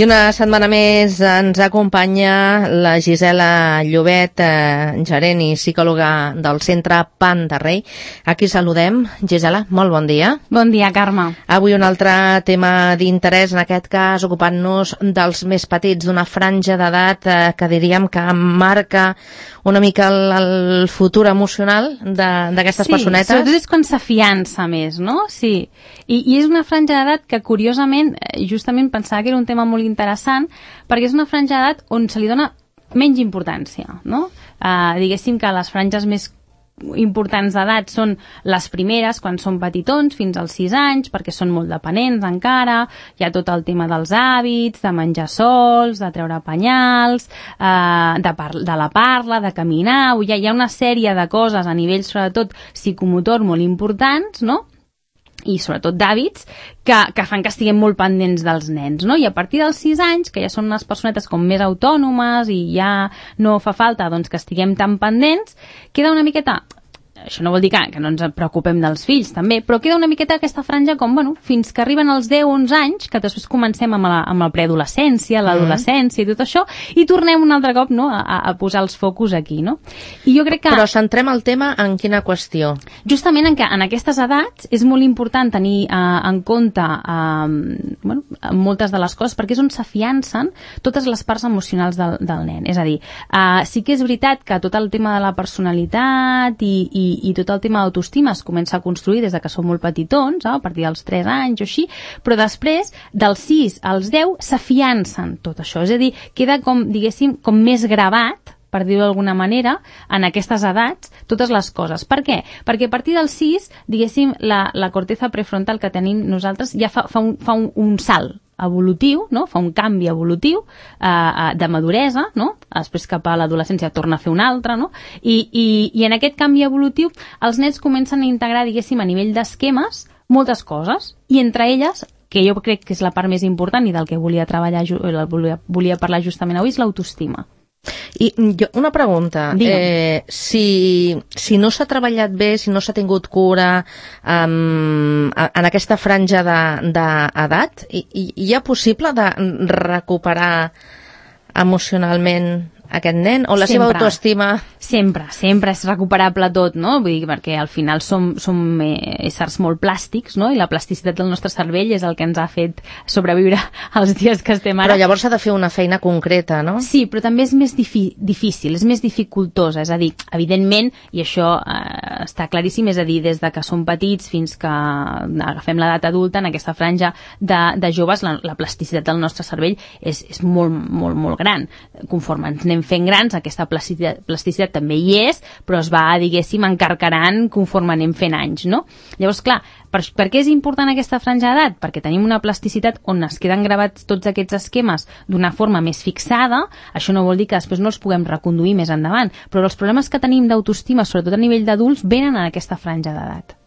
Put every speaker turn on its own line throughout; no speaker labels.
I una setmana més ens acompanya la Gisela Llobet, gerent i psicòloga del Centre Pan de Rei. Aquí saludem. Gisela, molt bon dia.
Bon dia, Carme.
Avui un altre tema d'interès, en aquest cas ocupant-nos dels més petits, d'una franja d'edat que diríem que marca una mica el futur emocional d'aquestes personetes.
Sí, sobretot és quan s'afiança més, no? Sí. I és una franja d'edat que, curiosament, justament pensava que era un tema molt interessant, perquè és una franja d'edat on se li dona menys importància, no? Diguéssim que les franges més importants d'edat són les primeres, quan són petitons, fins als 6 anys, perquè són molt dependents encara, hi ha tot el tema dels hàbits, de menjar sols, de treure penyals, de la parla, de caminar, hi ha una sèrie de coses a nivell, sobretot, psicomotor molt importants, no?, i sobretot d'hàbits, que fan que estiguem molt pendents dels nens, no? I a partir dels 6 anys, que ja són unes personetes com més autònomes i ja no fa falta doncs, que estiguem tan pendents, queda una miqueta... Això no vol dir que no ens preocupem dels fills, també, però queda una miqueta aquesta franja com, bueno, fins que arriben els 10-11 anys, que després comencem amb la preadolescència, l'adolescència i tot això, i tornem un altre cop, no?, a posar els focus aquí, no? I jo crec que...
Però centrem el tema en quina qüestió?
Justament en què en aquestes edats és molt important tenir en compte moltes de les coses, perquè és on s'afiancen totes les parts emocionals del nen. És a dir, sí que és veritat que tot el tema de la personalitat i tot el tema d'autoestima es comença a construir des de que són molt petitons, a partir dels 3 anys o així, però després, dels 6 als 10, s'afiancen tot això. És a dir, queda com, diguéssim, com més gravat, per dir-ho d'alguna manera, en aquestes edats, totes les coses. Per què? Perquè a partir dels 6, diguéssim, la corteza prefrontal que tenim nosaltres ja fa un salt evolutiu, no? Fa un canvi evolutiu de maduresa, no? Després cap a l'adolescència torna a fer un altre, no? I en aquest canvi evolutiu els nens comencen a integrar, diguéssim, a nivell d'esquemes, moltes coses, i entre elles, que jo crec que és la part més important i del que volia treballar, volia parlar justament avui, és l'autoestima.
I una pregunta, si no s'ha treballat bé, si no s'ha tingut cura en aquesta franja d'edat, hi ha possible de recuperar emocionalment aquest nen, o la seva autoestima...
Sempre és recuperable tot, no? Vull dir, perquè al final som éssers molt plàstics, no? I la plasticitat del nostre cervell és el que ens ha fet sobreviure als dies que estem ara.
Però llavors s'ha de fer una feina concreta, no?
Sí, però també és més difícil, és més dificultosa. És a dir, evidentment, i això està claríssim, és a dir, des de que som petits fins que agafem l'edat adulta, en aquesta franja de joves, la plasticitat del nostre cervell és molt, molt, molt gran. Conforme ens anem fent grans, aquesta plasticitat també hi és, però es va, diguéssim, encarcarant conforme anem fent anys, no? Llavors, clar, per què és important aquesta franja d'edat? Perquè tenim una plasticitat on es queden gravats tots aquests esquemes d'una forma més fixada. Això no vol dir que després no els puguem reconduir més endavant, però els problemes que tenim d'autoestima, sobretot a nivell d'adults, venen en aquesta franja d'edat.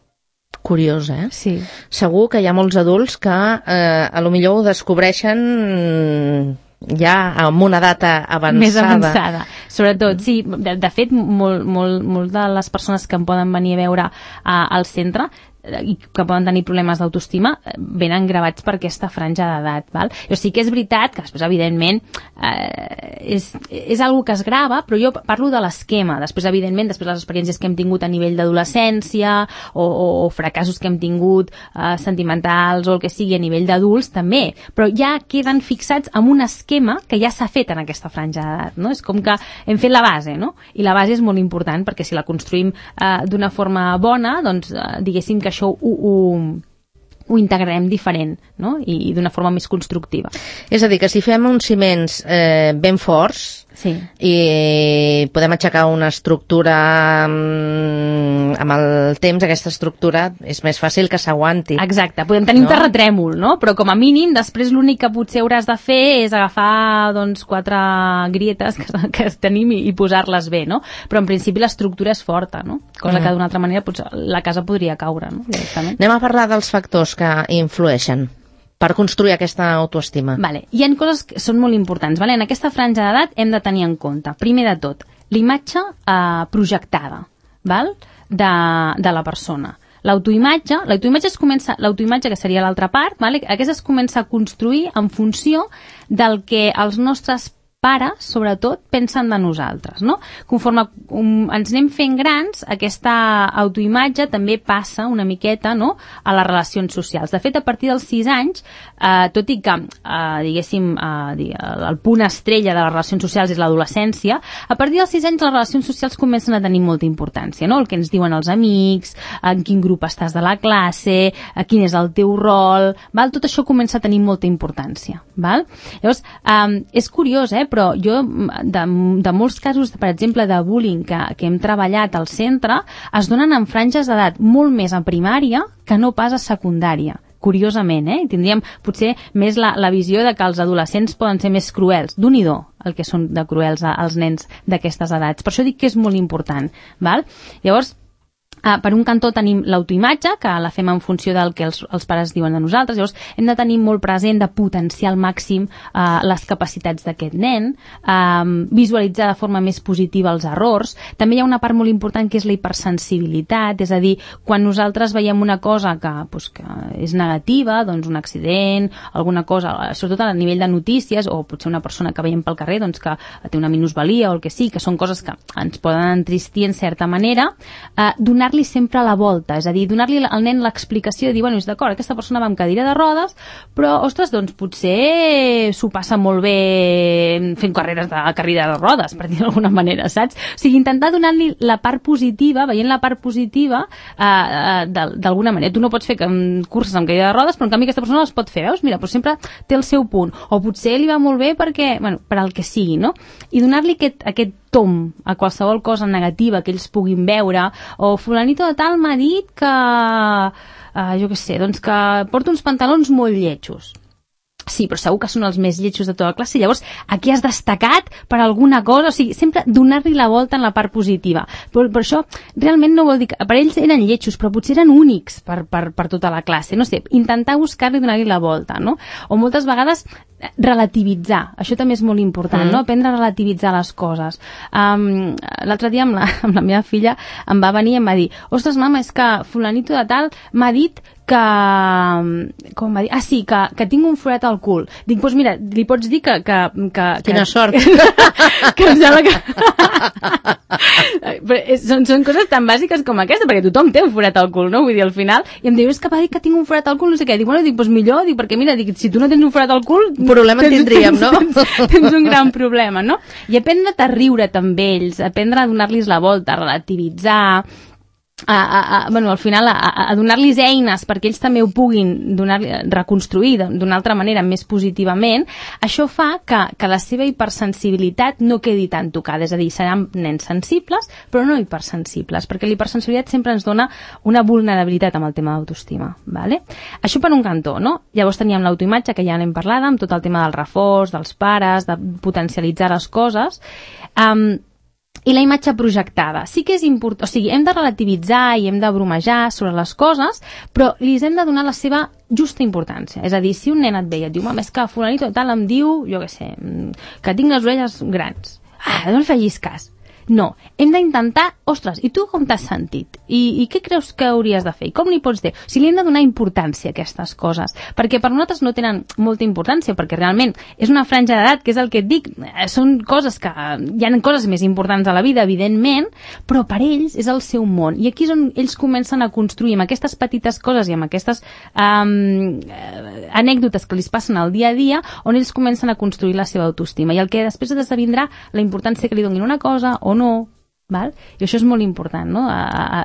Curiós, eh?
Sí.
Segur que hi ha molts adults que a lo millor ho descobreixen ja amb una data avançada.
Més avançada. Sobretot, sí, de fet, molt de les persones que em poden venir a veure al centre i que poden tenir problemes d'autoestima venen gravats per aquesta franja d'edat, val? O sigui que és veritat que després, evidentment, és algo que es grava, però jo parlo de l'esquema. Després, evidentment, després les experiències que hem tingut a nivell d'adolescència o fracassos que hem tingut sentimentals o el que sigui a nivell d'adults, també. Però ja queden fixats amb un esquema que ja s'ha fet en aquesta franja d'edat, no? És com que hem fet la base, no? I la base és molt important perquè si la construïm d'una forma bona, doncs, diguéssim que això ho integrarem diferent, no? I d'una forma més constructiva.
És a dir, que si fem uns ciments ben forts,
sí,
i podem aixecar una estructura amb el temps, aquesta estructura és més fàcil que s'aguanti.
Exacte, podem tenir un terratrèmol, no? Però com a mínim després l'únic que potser hauràs de fer és agafar 4 grietes que tenim i posar-les bé, no? Però en principi l'estructura és forta, no? Cosa que d'una altra manera potser la casa podria caure, no? Directament.
Anem a parlar dels factors que influeixen per construir aquesta autoestima.
Vale. Hi ha coses que són molt importants. Vale? En aquesta franja d'edat hem de tenir en compte, primer de tot, l'imatge projectada, val? De la persona. l'autoimatge que seria l'altra part, vale? Aquesta es comença a construir en funció del que els nostres pares, sobretot, pensen de nosaltres, no? Conforme ens anem fent grans, aquesta autoimatge també passa una miqueta, no?, a les relacions socials. De fet, a partir dels 6 anys, tot i que, diguéssim, el punt estrella de les relacions socials és l'adolescència, a partir dels 6 anys les relacions socials comencen a tenir molta importància, no? El que ens diuen els amics, en quin grup estàs de la classe, quin és el teu rol, val? Tot això comença a tenir molta importància, val? Llavors, és curiós, però jo, de molts casos, per exemple, de bullying que hem treballat al centre, es donen en franges d'edat molt més a primària que no pas a secundària. Curiosament, tindríem potser més la visió de que els adolescents poden ser més cruels. D'un-i-do el que són de cruels als nens d'aquestes edats. Per això dic que és molt important, val? Llavors, per un cantó tenim l'autoimatge, que la fem en funció del que els pares diuen de nosaltres. Llavors, hem de tenir molt present de potenciar al màxim les capacitats d'aquest nen, visualitzar de forma més positiva els errors. També hi ha una part molt important que és la hipersensibilitat, és a dir, quan nosaltres veiem una cosa que és negativa, doncs un accident, alguna cosa, sobretot a nivell de notícies, o potser una persona que veiem pel carrer que té una minusvalia o el que sí, que són coses que ens poden entristir en certa manera, donar-li sempre a la volta, és a dir, donar-li al nen l'explicació de dir, bueno, és d'acord, aquesta persona va amb cadira de rodes, però, ostres, doncs potser s'ho passa molt bé fent carreres de carrera de rodes, per dir d'alguna manera, saps? O sigui, intentar donar-li la part positiva, veient la part positiva d'alguna manera. Tu no pots fer curses amb cadira de rodes, però en canvi aquesta persona les pot fer, veus? Mira, però sempre té el seu punt. O potser li va molt bé perquè, bueno, per al que sigui, no? I donar-li aquest tom a qualsevol cosa negativa que ells puguin veure, o fulanito de tal m'ha dit que, jo què sé, doncs que porta uns pantalons molt lletjos. Sí, però segur que són els més lletjos de tota la classe. Llavors, aquí has destacat per alguna cosa, o sigui, sempre donar-li la volta en la part positiva. Per això, realment no vol dir que per ells eren lletjos, però potser eren únics per tota la classe. No sé, intentar buscar-li i donar-li la volta, no? O moltes vegades relativitzar, això també és molt important, no? Aprendre a relativitzar les coses. L'altre dia amb la meva filla em va venir i em va dir, ostres, mama, és que fulanito de tal m'ha dit que... com va dir? Ah, sí, que tinc un forat al cul. Dic, doncs mira, li pots dir que
Quina sort!
que em sembla que... són coses tan bàsiques com aquesta, perquè tothom té un forat al cul, no? Vull dir, al final, i em diu, és que va dir que tinc un forat al cul, no sé què. Dic, bueno, doncs millor, perquè mira, si tu no tens un forat al cul...
Problema tindríem, no?
Tens un gran problema, no? I aprendre a riure també ells, aprendre a donar-los la volta, a relativitzar, bueno, al final a donar-los eines perquè ells també ho puguin reconstruir d'una altra manera més positivament. Això fa que la seva hipersensibilitat no quedi tan tocada, és a dir, seran nens sensibles però no hipersensibles, perquè l'hipersensibilitat sempre ens dona una vulnerabilitat amb el tema d'autoestima, vale? Això per un cantó, no? Llavors teníem l'autoimatge, que ja n'hem parlat, amb tot el tema del reforç, dels pares, de potencialitzar les coses. I la imatge projectada. Sí que és important, o sigui, hem de relativitzar i hem de bromejar sobre les coses, però li hem de donar la seva justa importància. És a dir, si un nen et ve i et diu, mama, és que fulanito tal em diu, jo què sé, que tinc les orelles grans. No li facis cas. No, hem d'intentar, ostres, i tu com t'has sentit? I què creus que hauries de fer? I com n'hi pots dir? O sigui, li hem de donar importància a aquestes coses, perquè per nosaltres no tenen molta importància, perquè realment és una franja d'edat, que és el que et dic, són coses que... Hi ha coses més importants a la vida, evidentment, però per ells és el seu món. I aquí és on ells comencen a construir, amb aquestes petites coses i amb aquestes anècdotes que els passen al dia a dia, on ells comencen a construir la seva autoestima. I el que després esdevindrà la importància que li donin una cosa o no, val? I això és molt important, no?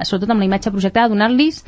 Sobretot amb la imatge projectada, donar-los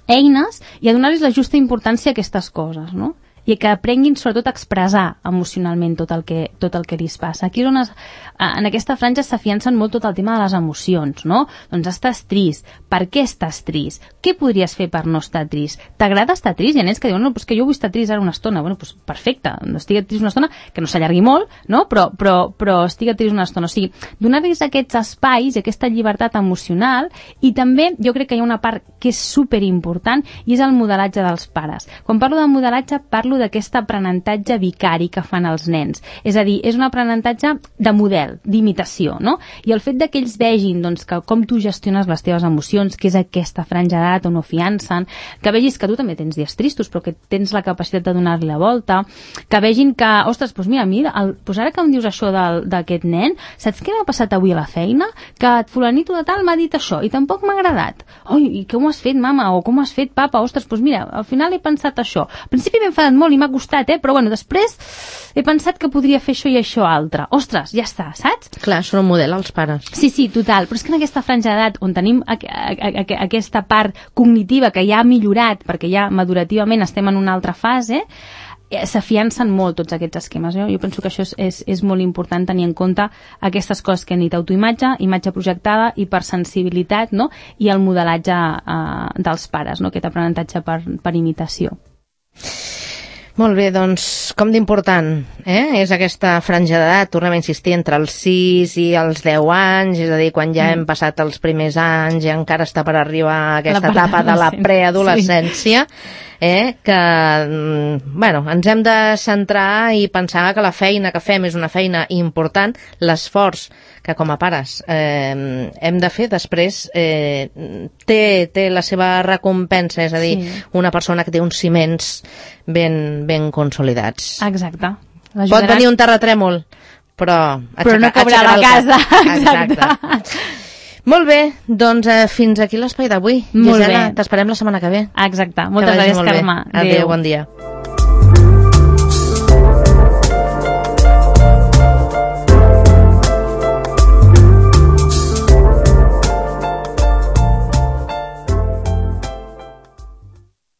eines i a donar-los la justa importància a aquestes coses, no? I que aprenguin sobretot a expressar emocionalment tot el que li passa. Aquí és on en aquesta franja s'afiancen molt tot el tema de les emocions, no? Doncs estàs trist. Per què estàs trist? Què podries fer per no estar trist? T'agrada estar trist? Hi ha nens que diuen, no, doncs que jo vull estar trist ara una estona. Bueno, doncs perfecte, estigui trist una estona, que no s'allargui molt, no? Però estigui trist una estona. O sigui, donar-los aquests espais i aquesta llibertat emocional, i també jo crec que hi ha una part que és superimportant i és el modelatge dels pares. Quan parlo de modelatge parlo parlo d'aquest aprenentatge vicari que fan els nens. És a dir, és un aprenentatge de model, d'imitació, no? I el fet que ells vegin doncs, que com tu gestiones les teves emocions, que és aquesta franja d'edat on no fiancen, que vegis que tu també tens dies tristos, però que tens la capacitat de donar-li la volta, que vegin que, ostres, doncs mira, doncs ara que em dius això d'aquest nen, saps què m'ha passat avui a la feina? Que fulanito de tal m'ha dit això i tampoc m'ha agradat. Oi, i com ho has fet, mama? O com ho has fet, papa? Ostres, doncs mira, al final he pensat això. Al principi m'he enfadat molt i m'ha costat, però bueno, després he pensat que podria fer això i això altre. Ostres, ja està, saps?
Clar, són un model els pares.
Sí, total, però és que en aquesta franja d'edat on tenim aquesta part cognitiva que ja ha millorat, perquè ja madurativament estem en una altra fase, s'afiancen molt tots aquests esquemes. Jo penso que això és molt important tenir en compte aquestes coses que han dit autoimatge, imatge projectada, hipersensibilitat, no? I el modelatge dels pares, no? Aquest aprenentatge per imitació.
Molt bé, doncs, com d'important és aquesta franja d'edat, tornem a insistir, entre els 6 i els 10 anys, és a dir, quan ja hem passat els primers anys i encara està per arribar a aquesta etapa de la preadolescència, que, bueno, ens hem de centrar i pensar que la feina que fem és una feina important, l'esforç que com a pares hem de fer després té la seva recompensa, és a dir, una persona que té uns ciments ben consolidats.
Exacte.
Pot venir un terratrèmol, però
no caurà la casa. Exacte.
Molt bé, doncs fins aquí l'espai d'avui. Gisela, t'esperem la setmana que ve.
Exacte. Moltes gràcies, Carme.
Adéu, bon dia.